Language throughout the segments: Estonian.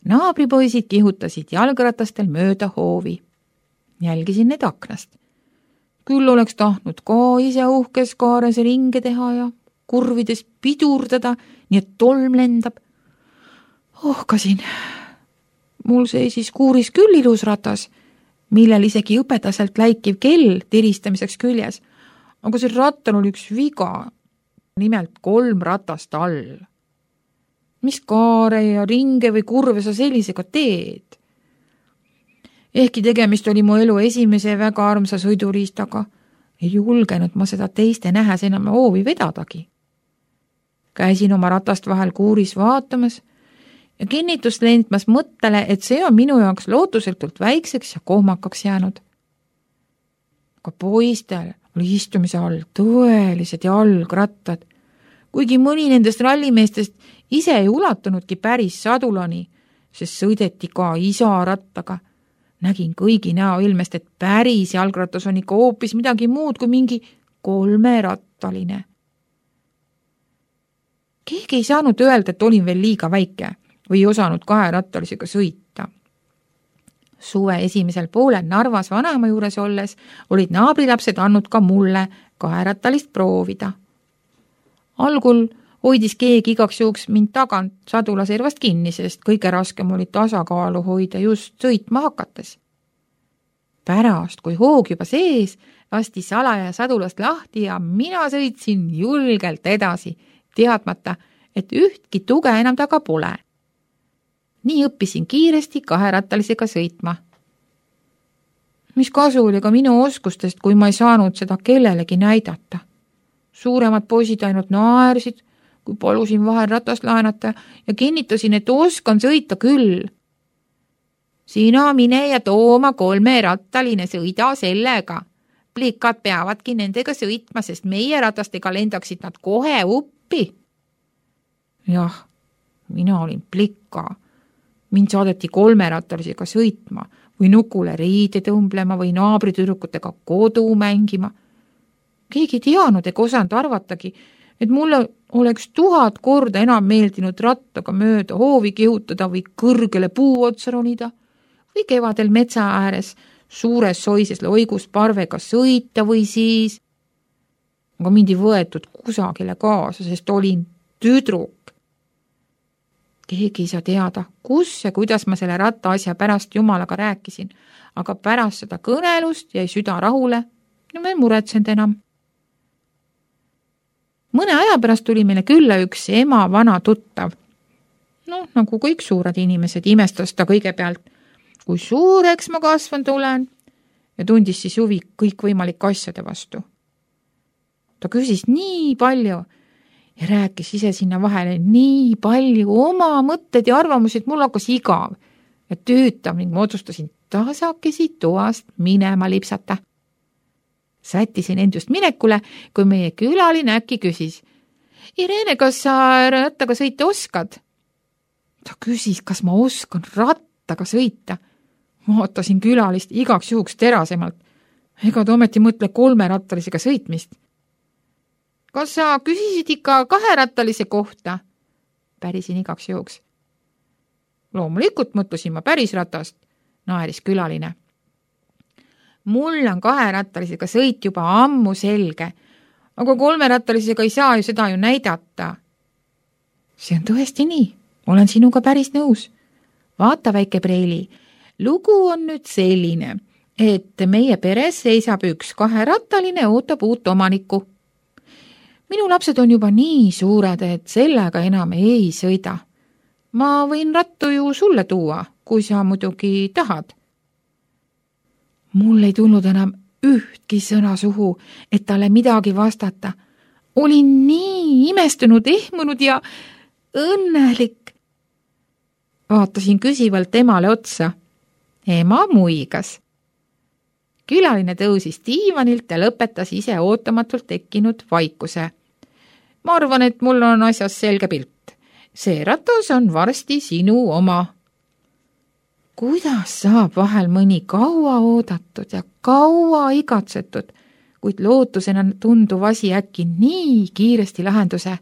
Naabripoisid kihutasid jalgratastel mööda hoovi. Jälgisin neid aknast. Küll oleks tahtnud ka ise uhkes kaares ringe teha ja kurvides pidurdada, nii et tolm lendab. Ohkasin. Mul seisis kuuris küll ilus ratas, millel isegi õpetaselt läikiv kell tiristamiseks küljes, aga see rattal oli üks viga, nimelt 3 ratast all. Mis kaare ja ringe või kurve sa sellisega teed? Ehkki tegemist oli mu elu esimese väga armsa sõiduriistaga, ei julgenud ma seda teiste nähes enam hoovi vedadagi. Käisin oma ratast vahel kuuris vaatamas ja kinnitust lendmas mõttele, et see on minu jaoks lootusetult väikseks ja kohmakaks jäänud. Aga poistel oli istumise all tõelised jalgrattad, kuigi mõni nendest rallimeestest ise ei ulatunudki päris sadulani, sest sõideti ka isa rattaga. Nägin kõigi näoilmest, et päris jalgratas on ikka hoopis midagi muud kui mingi 3-rattaline. Keegi ei saanud öelda, et olin veel liiga väike või ei osanud 2-rattalisega sõita. Suve esimesel poolel Narvas vanaema juures olles olid naabrilapsed andnud ka mulle 2-rattalist proovida. Algul hoidis keegi igaks juhuks mind tagant sadulaservast kinni, sest kõige raskem oli tasakaalu hoida just sõitma hakates. Pärast, kui hoog juba sees, lasti salaja sadulast lahti ja mina sõitsin julgelt edasi, teadmata, et ühtki tuge enam taga pole. Nii õppisin kiiresti 2-rattalisega sõitma. Mis kasu oli ka minu oskustest, kui ma ei saanud seda kellelegi näidata. Suuremad poisid ainult naersid, kui palusin vahel ratast laenata ja kinnitasin, et oskan sõita küll. Sina mine ja tooma 3-rattaline, sõida sellega. Plikad peavadki nendega sõitma, sest meie ratastega lendaksid nad kohe uppi. Jah, mina olin plika. Mind saadeti 3-rattalisega sõitma või nukule riide tõmblema või naabritüdrukutega kodu mängima. Keegi teanud ega osanud arvatagi, et mulle oleks 1000 korda enam meeldinud rattaga mööda hoovi kihutada või kõrgele puu otsa ronida või kevadel metsa ääres suures soises loigus parvega sõita või siis. Aga mind ei võetud kusagile kaasa, sest olin tüdruk. Keegi ei saa teada, kus ja kuidas ma selle ratta asja pärast Jumalaga rääkisin, aga pärast seda kõnelust jäi süda rahule ja ma ei muretsenud enam. Mõne aja pärast tuli meile külla üks ema vana tuttav. Nagu kõik suured inimesed, imestas ta kõigepealt, kui suureks ma kasvanud olen ja tundis siis huvi kõikvõimalike asjade vastu. Ta küsis nii palju ja rääkis ise sinna vahele nii palju oma mõtted ja arvamusi, et mul hakkas igav ja tüütav ning ma otsustasin tasakesi toast minema lipsata. Sättisin end just minekule, kui meie külaline äkki küsis. Irene, kas sa rattaga sõita oskad? Ta küsis, kas ma oskan rattaga sõita. Vaatasin külalist igaks juhuks terasemalt. Ega ta ometi mõtle 3-rattalisega sõitmist. Kas sa küsisid ikka 2-rattalise kohta? Pärisin igaks juhuks. Loomulikult mõtlesin ma päris ratast, naeris külaline. Mul on 2-rattalisega sõit juba ammu selge, aga 3-rattalisega ei saa ju seda ju näidata. See on tõesti nii, olen sinuga päris nõus. Vaata, väike Preili, lugu on nüüd selline, et meie peres seisab üks 2-rattaline ootab uut omanikku. Minu lapsed on juba nii suured, et sellega enam ei sõida. Ma võin rattu ju sulle tuua, kui sa muidugi tahad. Mul ei tulnud enam ühtki sõna suhu, et talle midagi vastata. Olin nii imestunud, ehmunud ja õnnelik. Vaatasin küsivalt emale otsa. Ema muigas. Külaline tõusis diivanilt ja lõpetas ise ootamatult tekkinud vaikuse. Ma arvan, et mul on asjas selge pilt. See ratas on varsti sinu oma. Kuidas saab vahel mõni kaua oodatud ja kaua igatsetud, kuid lootusena tunduv asi äkki nii kiiresti lahenduse?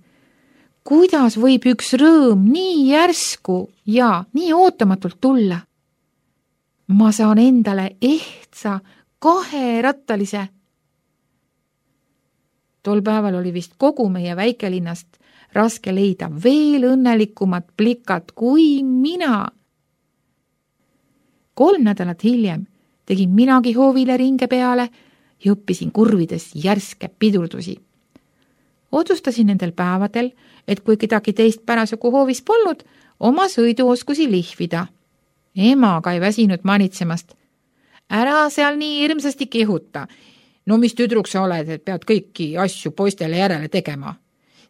kuidas võib üks rõõm nii järsku ja nii ootamatult tulla? Ma saan endale ehtsa 2-rattalise. Tol päeval oli vist kogu meie väikelinnast raske leida veel õnnelikumat plikat kui mina. 3 nädalat hiljem tegin minagi hoovile ringe peale ja õppisin kurvides järske pidurdusi. Otsustasin nendel päevadel, et kui kedagi teist parasjagu hoovis polnud, oma sõiduoskusi lihvida. Ema aga ei väsinud manitsemast. Ära seal nii hirmsasti kihuta. No mis tüdruk sa oled, et pead kõiki asju poistele järele tegema?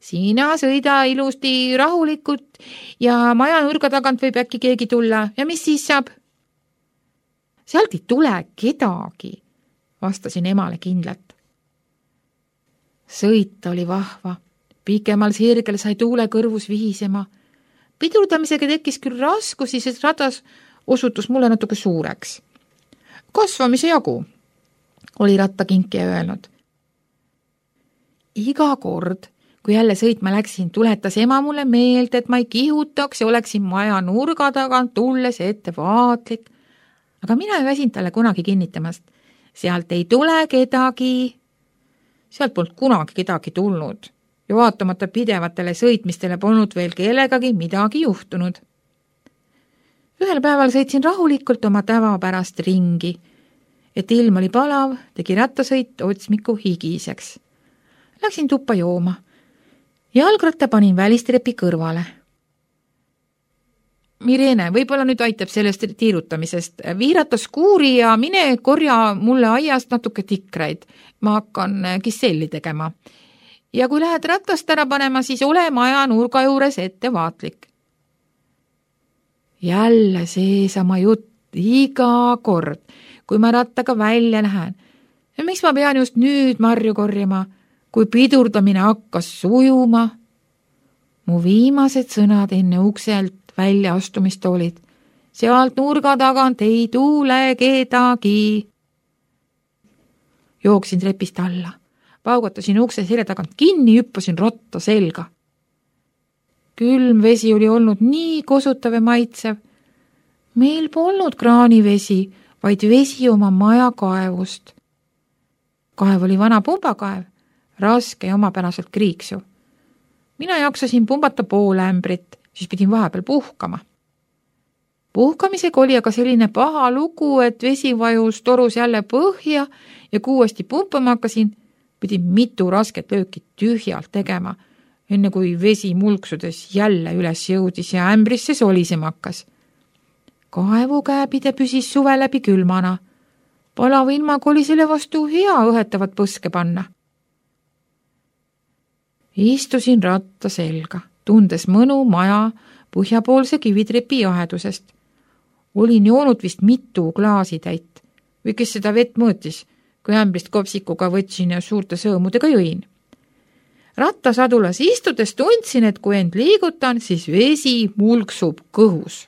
Sina sõida ilusti rahulikult ja maja nurga tagant võib äkki keegi tulla ja mis siis saab? Sealt ei tule kedagi, vastasin emale kindlalt. Sõit oli vahva. Pikemal sirgel sai tuule kõrvus vihisema. Pidurdamisega tekkis küll raskusi, sest ratas osutus mulle natuke suureks. Kasvamise jagu, oli rattakinkija öelnud. Iga kord, kui jälle sõitma läksin, tuletas ema mulle meelde, et ma ei kihutaks ja oleksin maja nurga tagant tulles ettevaatlik. Aga mina ei väsinud talle kunagi kinnitamast. Sealt ei tule kedagi. Sealt polnud kunagi kedagi tulnud ja vaatamata pidevatele sõitmistele polnud veel kellegagi midagi juhtunud. Ühel päeval sõitsin rahulikult oma tavapärast ringi. Et ilm oli palav, tegi rattasõit otsmiku higiseks. Läksin tuppa jooma. Jalgratta panin välistrepi kõrvale. Mirene, võib-olla nüüd aitab sellest tiirutamisest. Viirata skuuri ja mine korja mulle aiast natuke tikraid. Ma hakkan kisselli tegema. Ja kui lähed rattast ära panema, siis ole maja nurga juures ettevaatlik. Jälle seesama jutt iga kord, kui ma rattaga välja lähen. Ja miks ma pean just nüüd marju korjama, kui pidurdamine hakkas sujuma? Mu viimased sõnad enne ukselt välja astumist olid. Sealt nurga tagant ei tule kedagi. Jooksin trepist alla. Paugatasin ukse selja tagant kinni, hüppasin ratta selga. Külm vesi oli olnud nii kosutav ja maitsev. Meil polnud kraanivesi, vaid vesi oma maja kaevust. Kaev oli vana pumbakaev, raske ja omapäraselt kriiksu. Mina jaksasin pumbata pool ämbrit, siis pidin vahepeal puhkama. Puhkamisega oli aga selline paha lugu, et vesi vajus torus jälle põhja ja kui uuesti pumpama hakkasin, pidin mitu rasket lööki tühjalt tegema, enne kui vesi mulksudes jälle üles jõudis ja ämbrisse solisema hakkas. Kaevukääbide püsis suve läbi külmana. Palava ilmaga oli selle vastu hea õhetavat põske panna. Istusin ratta selga, tundes mõnu maja põhjapoolse kivitrepi jahedusest. Olin joonud vist mitu klaasitäit või kes seda vett mõõtis, kui ämbrist kopsikuga võtsin ja suurte sõõmudega jõin. Rattasadulas istudes tundsin, et kui end liigutan, siis vesi mulksub kõhus.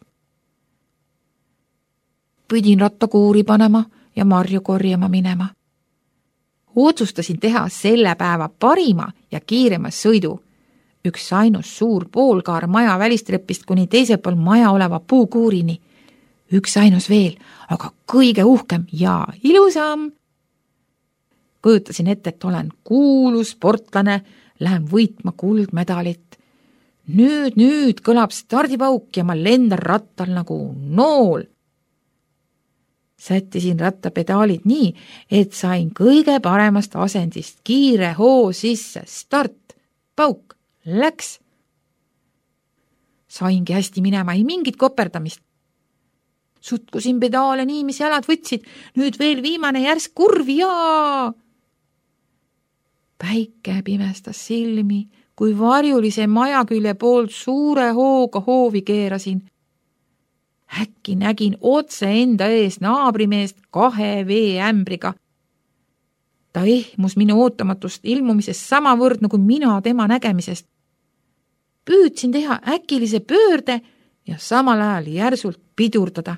Pidin rattakuuri panema ja marju korjama minema. Otsustasin teha selle päeva parima ja kiirema sõidu. Üks ainus suur poolkaar maja välistrepist kuni teisel pool maja oleva puukuurini. Üks ainus veel, aga kõige uhkem ja ilusam. Kujutasin ette, et olen kuulus sportlane, lähen võitma kuldmedalit. Nüüd kõlab stardipauk ja ma lendan rattal nagu nool. Sättisin rattapedaalid nii, et sain kõige paremast asendist kiire hoo sisse, start, pauk, läks. Saingi hästi minema, ei mingit koperdamist. Sutkusin pedaale nii, mis jalad võtsid, nüüd veel viimane järsk kurvi ja... Päike pimestas silmi, kui varjulise maja külje poolt suure hooga hoovi keerasin. Äkki nägin otse enda ees naabrimeest 2 veeämbriga. Ta ehmus minu ootamatust ilmumisest samavõrd nagu mina tema nägemisest. Püüdsin teha äkilise pöörde ja samal ajal järsult pidurdada.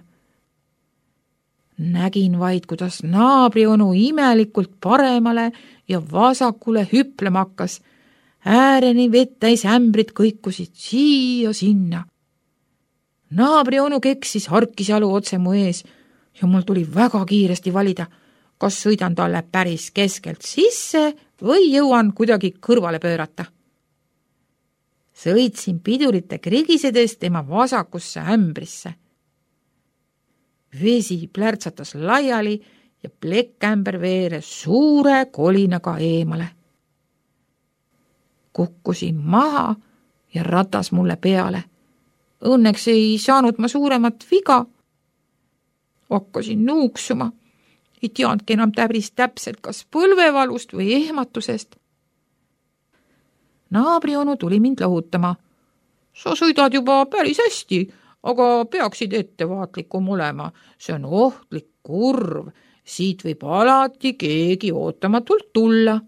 Nägin vaid, kuidas naabrionu imelikult paremale ja vasakule hüplema hakkas. ääreni vettäis ämbrid kõikusid siia-sinna. Naabri onu keksis harkisjalu otse mu ees ja mul tuli väga kiiresti valida, kas sõidan talle päris keskelt sisse või jõuan kuidagi kõrvale pöörata. Sõitsin pidurite krigisedes tema vasakusse ämbrisse. Vesi plärtsatas laiali ja plekkämber veeres suure kolinaga eemale. Kukkusin maha ja ratas mulle peale. Õnneks ei saanud ma suuremat viga. Hakkasin nuuksuma. Ei teadki enam täpselt, kas põlvevalust või ehmatusest. Naabri onu tuli mind lohutama. Sa sõidad juba päris hästi, aga peaksid ettevaatlikum olema. See on ohtlik kurv. Siit võib alati keegi ootamatult tulla.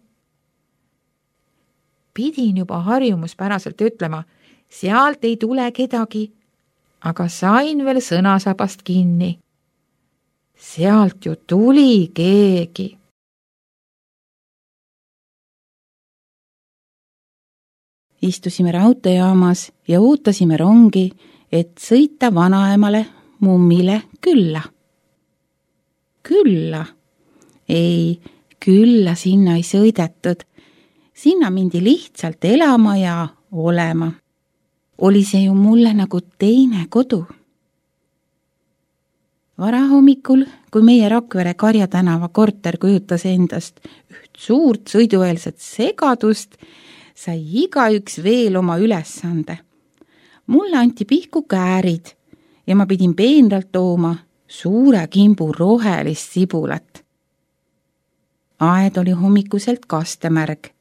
Pidin juba harjumuspäraselt ütlema, sealt ei tule kedagi, aga sain veel sõnasabast kinni. Sealt ju tuli keegi. Istusime raudteejaamas ja ootasime rongi, et sõita vanaemale mummile külla. Külla? Ei, külla sinna ei sõidetud. Sinna mindi lihtsalt elama ja olema. Oli see ju mulle nagu teine kodu. Varahommikul, kui meie Rakvere Karja tänava korter kujutas endast üht suurt sõidueelset segadust, sai igaüks veel oma ülesande. Mulle anti pihku käärid ja ma pidin peenralt tooma suure kimbu rohelist sibulat. Aed oli hommikuselt kastemärg.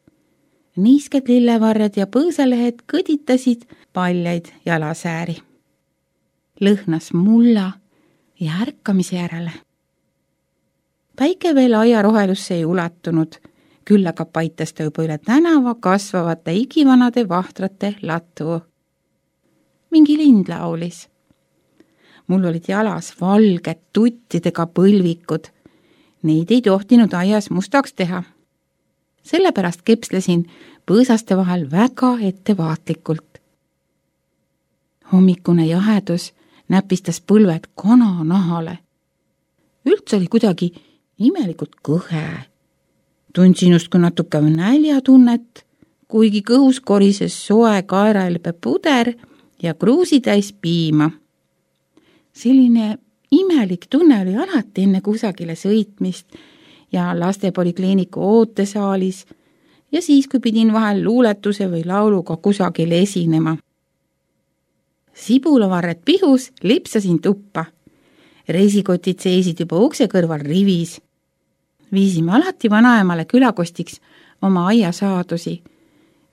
Niisked lillevarjad ja põõsalehed kõditasid paljaid jalasääri. Lõhnas mulla ja ärkamise järele. Päike veel aiarohelusse ei ulatunud, küll aga paitas ta juba üle tänava kasvavate igivanade vahtrate latu. Mingi lind laulis. Mul olid jalas valged tuttidega põlvikud. Neid ei tohtinud aias mustaks teha. Sellepärast kepslesin põõsaste vahel väga ettevaatlikult. Hommikune jahedus näpistas põlved kananahale. Üldse oli kuidagi imelikult kõhe. Tundsin justkui natuke näljatunnet, kuigi kõhus korises soe kaeraelbe puder ja kruusitäis piima. Selline imelik tunne oli alati enne kusagile sõitmist ja lastepolikliiniku ootesaalis ja siis, kui pidin vahel luuletuse või lauluga kusagil esinema. Sibulavarred pihus lipsasin tuppa. Reisikotid seisid juba ukse kõrval rivis. Viisime alati vanaemale külakostiks oma aiasaadusi,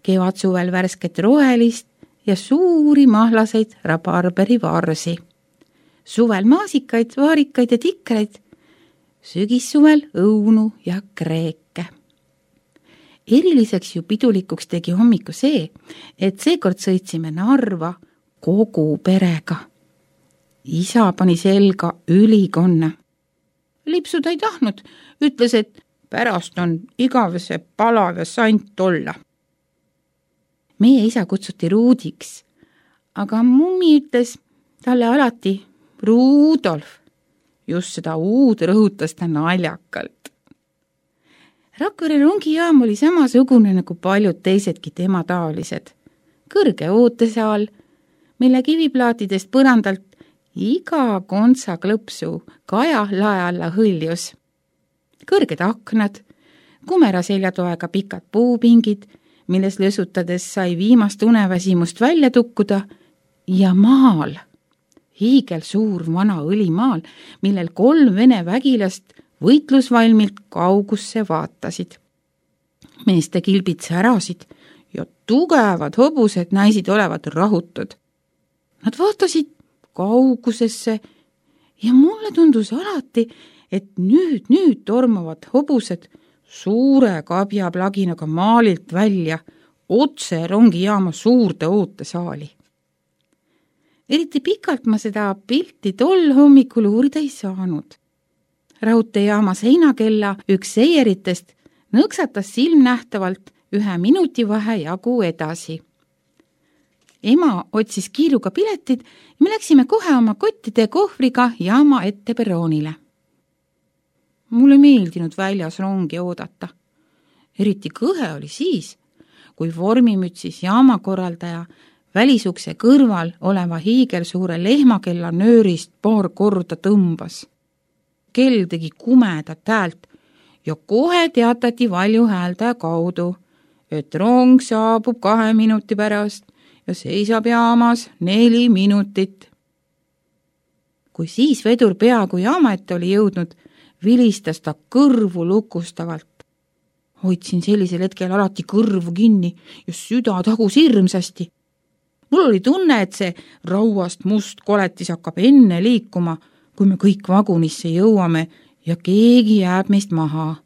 kevad-suvel värsket rohelist ja suuri mahlaseid rabarberivarsi. Suvel maasikaid, vaarikaid ja tikreid, sügissuvel õunu ja kreeke. Eriliseks ju pidulikuks tegi hommiku see, et seekord sõitsime Narva kogu perega. Isa pani selga ülikonna. Lipsuda ei tahtnud, ütles, et pärast on igavese palav ja sant olla. Meie isa kutsuti Ruudiks, aga mummi ütles talle alati Rudolf. Just seda uud rõhutas ta naljakalt. Rakvere rongijaam oli samasugune nagu paljud teisedki tema taolised. Kõrge ootesaal, mille kiviplaatidest põrandalt iga kontsa klõpsu kaja lae alla hõljus. Kõrged aknad, kumera seljatoega pikad puupingid, milles lösutades sai viimast uneväsimust välja tukkuda ja maal. Hiigel suur vana õlimaal, millel 3 vene vägilast võitlusvalmilt kaugusse vaatasid. Meeste kilbid särasid ja tugevad hobused näisid olevat rahutud. Nad vaatasid kaugusesse ja mulle tundus alati, et nüüd tormavad hobused suure kabjaplaginaga maalilt välja otse rongijaama suurde ootesaali. Eriti pikalt ma seda pilti tol hommikul uurida ei saanud. Raudteejaama seinakella üks seieritest nõksatas silmnähtavalt 1 minuti vahe jagu edasi. Ema otsis kiiruga piletid ja me läksime kohe oma kottide ja kohvriga jaama ette perroonile. Mulle meeldinud väljas rongi oodata. Eriti kõhe oli siis, kui vormimütsis jaamakorraldaja välisukse kõrval oleva hiigelsuure lehmakella nöörist paar korda tõmbas. Kell tegi kumedat häält ja kohe teatati valjuhääldaja kaudu, et rong saabub 2 minuti pärast ja seisab jaamas 4 minutit. Kui siis vedur peaaegu jaama ette oli jõudnud, vilistas ta kõrvu lukustavalt. Hoidsin sellisel hetkel alati kõrvu kinni ja süda tagus hirmsasti. Mul oli tunne, et see rauast must koletis hakkab enne liikuma, kui me kõik vagunisse jõuame ja keegi jääb meist maha.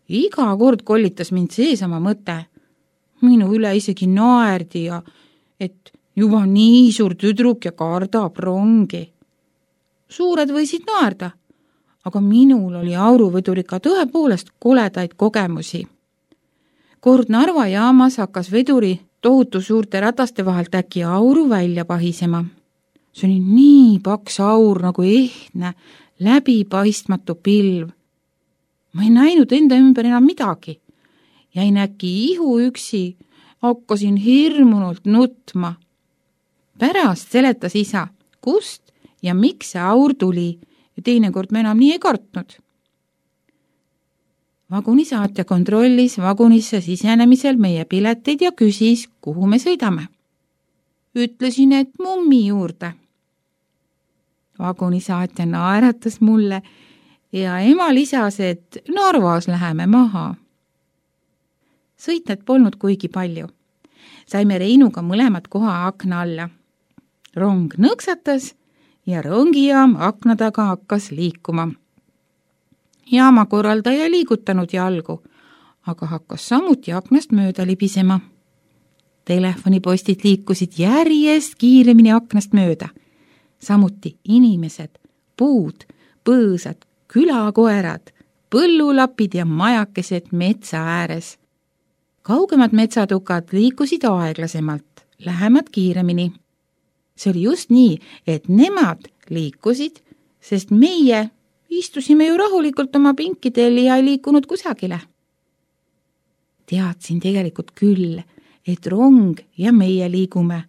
Iga kord kollitas mind seesama mõte. Minu üle isegi naerdi ja et juba nii suur tüdruk ja kardab rongi. Suured võisid naerda, aga minul oli auruveduriga tõepoolest koledaid kogemusi. Kord Narva jaamas hakkas veduri tohutu suurte rataste vahelt äkki auru välja pahisema. See oli nii paks aur nagu ehtne, läbipaistmatu pilv. Ma ei näinud enda ümber enam midagi. Jäin äkki ihu üksi, hakkasin hirmunult nutma. Pärast seletas isa, kust ja miks see aur tuli ja teinekord me enam nii ei kartnud. Vagunisaatja kontrollis vagunisse sisenemisel meie pileteid ja küsis, kuhu me sõidame. Ütlesin, et mummi juurde. Vagunisaatja naeratas mulle ja ema lisas, et Narvas läheme maha. Sõitjad polnud kuigi palju. Saime Reinuga mõlemad koha akna alla. Rong nõksatas ja rongijaam akna taga hakkas liikuma. Jaamakorraldaja ei liigutanud jalgu, aga hakkas samuti aknast mööda libisema. Telefonipostid liikusid järjest kiiremini aknast mööda. Samuti inimesed, puud, põõsad, külakoerad, põllulapid ja majakesed metsa ääres. Kaugemad metsatukad liikusid aeglasemalt, lähemad kiiremini. See oli just nii, et nemad liikusid, sest meie istusime ju rahulikult oma pinkidel ja ei liikunud kusagile. Teadsin tegelikult küll, et rong ja meie liigume,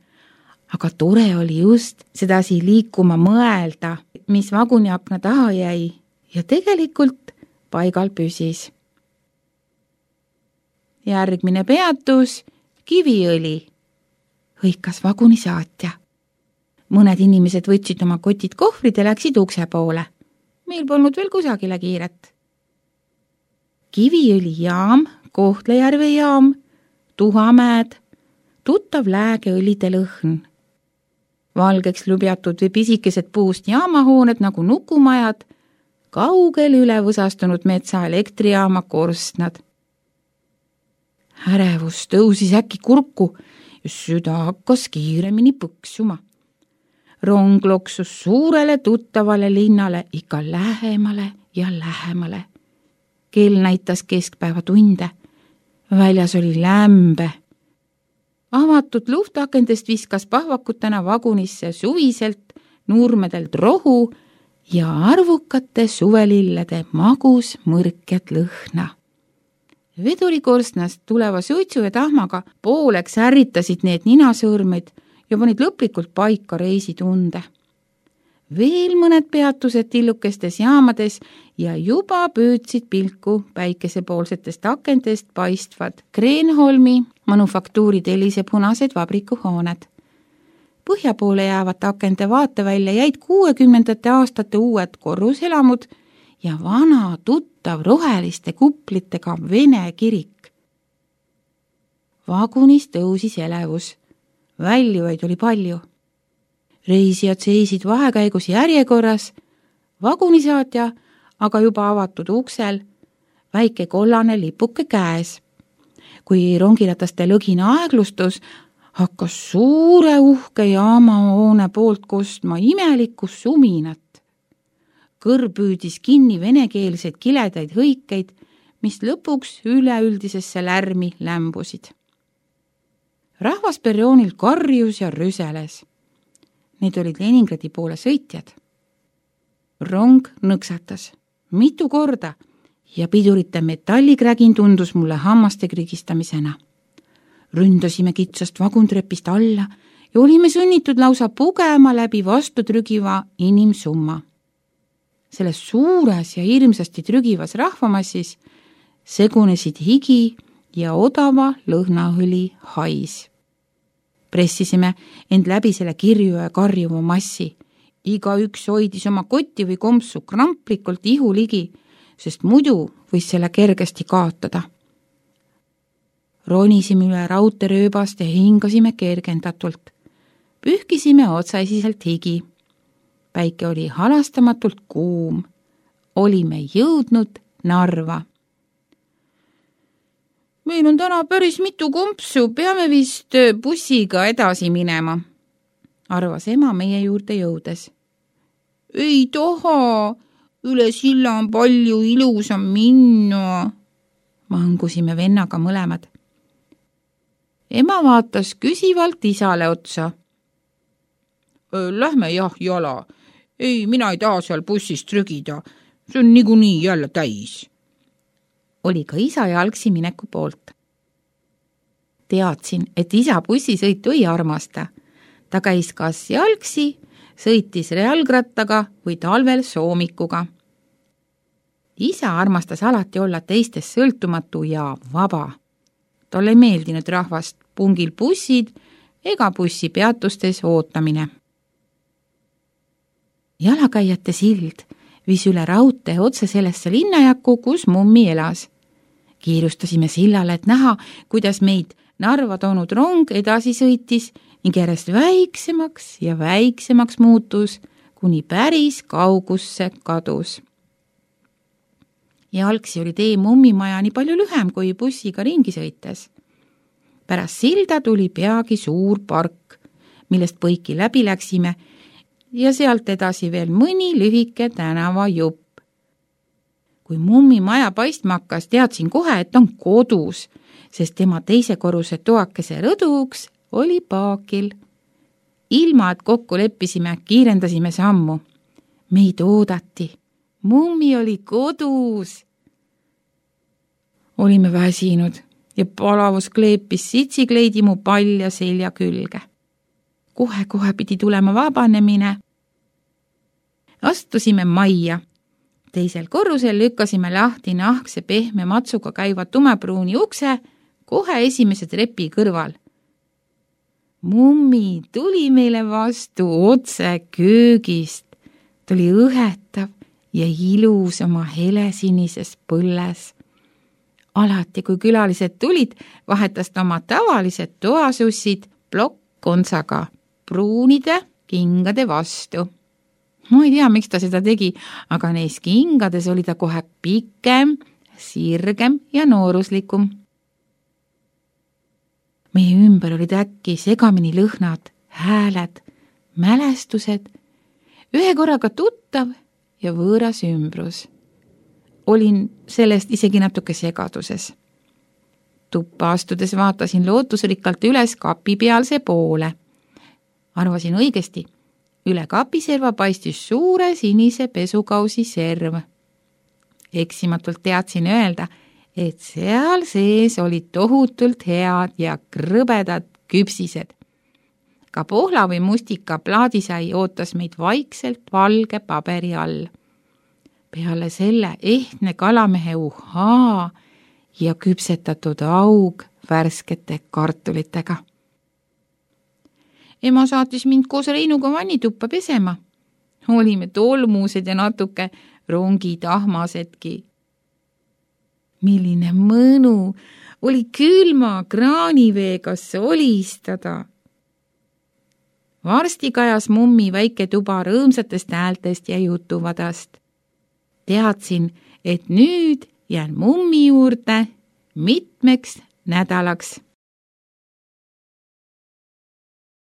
aga tore oli just sedasi liikuma mõelda, mis vaguniakna taha jäi ja tegelikult paigal püsis. Järgmine peatus, Kiviõli, hõikas vagunisaatja. Mõned inimesed võtsid oma kotid kohvrid ja läksid ukse poole. Meil polnud veel kusagile kiiret. Kiviõli jaam, Kohtla-Järve jaam, Tuhamäed, tuttav läägeõlide lõhn. Valgeks lubjatud või pisikesed puust jaamahooned nagu nukumajad, kaugel üle võsastunud metsa elektrijaama korstnad. Ärevus tõusis äkki kurku ja süda hakkas kiiremini põksuma. Rong loksus suurele tuttavale linnale ikka lähemale ja lähemale. Kell näitas keskpäeva tunde. Väljas oli lämbe. Avatud luftakendest viskas pahvakutena vagunisse suviselt nurmedelt rohu ja arvukate suvelillede magus mõrkjad lõhna. Vedurikorstnast tuleva suitsu ja tahmaga pooleks ärritasid need ninasõõrmeid ja panid lõplikult paika reisitunde. Veel mõned peatused tillukestes jaamades ja juba püüdsid pilku päikesepoolsetest akendest paistvad Kreenholmi manufaktuuri tellise punased vabrikuhooned. Põhja poole jäävate akende vaatevälja jäid 60. aastate uued korruselamud ja vana tuttav roheliste kuplitega Vene kirik. Vagunis tõusis elevus. Väljuvaid oli palju. Reisijad seisid vahekäigus järjekorras, vagunisaatja aga juba avatud uksel, väike kollane lipuke käes. Kui rongirataste lõgina aeglustus, hakkas suure uhke jaamahoone poolt kostma imelikku suminat. Kõrv püüdis kinni venekeelseid kiledaid hõikeid, mis lõpuks üleüldisesse lärmi lämbusid. Rahvas perroonil karjus ja rüseles. Need olid Leningradi poole sõitjad. Rong nõksatas mitu korda ja pidurite metallikrägin tundus mulle hammaste krigistamisena. Ründasime kitsast vaguntrepist alla ja olime sunnitud lausa pugema läbi vastu trügiva inimsumma. Selles suures ja hirmsasti trügivas rahvamassis segunesid higi ja odava lõhnaõli hais. Pressisime end läbi selle kirju ja karjuva massi. Igaüks hoidis oma kotti või kompsu kramplikult ihu ligi, sest muidu võis selle kergesti kaotada. Ronisime üle raudteerööbast ja hingasime kergendatult. Pühkisime otsaisiselt higi. Päike oli halastamatult kuum. Olime jõudnud Narva. Meil on täna päris mitu kompsu, peame vist bussiga edasi minema, arvas ema meie juurde jõudes. Ei taha, üle silla on palju ilusam minna, mangusime vennaga mõlemad. Ema vaatas küsivalt isale otsa. Lähme jah jala. Ei, mina ei taha seal bussis trügida. See on niikuinii jälle täis. Oli ka isa jalgsi mineku poolt. Teadsin, et isa bussisõitu ei armasta. Ta käis kas jalgsi, sõitis jalgrattaga või talvel soomikuga. Isa armastas alati olla teistest sõltumatu ja vaba. Talle ei meeldinud rahvast pungil bussid ega bussipeatustes ootamine. Jalakäijate sild viis üle raudtee otse sellesse linnajakku, kus mummi elas. Kiirustasime sillale, et näha, kuidas meid Narva toonud rong edasi sõitis ning järjest väiksemaks ja väiksemaks muutus, kuni päris kaugusse kadus. Jalgsi oli tee mummimaja nii palju lühem kui bussiga ringi sõites. Pärast silda tuli peagi suur park, millest põiki läbi läksime ja sealt edasi veel mõni lühike tänava jupp. Kui mummi maja paistma hakkas, teadsin kohe, et on kodus, sest tema teise korruse toakese rõduks oli paakil. Ilma, et kokku leppisime, kiirendasime sammu. Meid oodati. Mummi oli kodus. Olime väsinud ja palavus kleepis sitsikleidi mu palja selja külge. Kohe pidi tulema vabanemine. Astusime majja. Teisel korrusel lükkasime lahti nahkse pehme matsuga käiva tumepruuni ukse kohe esimese trepi kõrval. Mummi tuli meile vastu otse köögist. Ta oli õhetav ja ilus oma helesinises põlles. Alati, kui külalised tulid, vahetas ta oma tavalised toasussid plokk-kontsaga pruunide kingade vastu. Ma ei tea, miks ta seda tegi, aga neis kingades oli ta kohe pikem, sirgem ja nooruslikum. Meie ümber olid äkki segamini lõhnad, hääled, mälestused, ühe korraga tuttav ja võõras ümbrus. Olin sellest isegi natuke segaduses. Tuppa astudes vaatasin lootusrikkalt üles kapipealse poole. Arvasin õigesti. Üle kapiserva paistis suure sinise pesukausi serv. Eksimatult teadsin öelda, et seal sees olid tohutult head ja krõbedad küpsised. Ka pohla või mustika plaadisai ootas meid vaikselt valge paberi all. Peale selle ehtne kalamehe uhaa ja küpsetatud aug värskete kartulitega. Ema saatis mind koos Reinuga vannituppa pesema. Olime tolmused ja natuke rongitahmasedki. Milline mõnu oli külma kraaniveega solistada. Varsti kajas mummi väike tuba rõõmsatest häältest ja jutuvadast. Teadsin, et nüüd jään mummi juurde mitmeks nädalaks.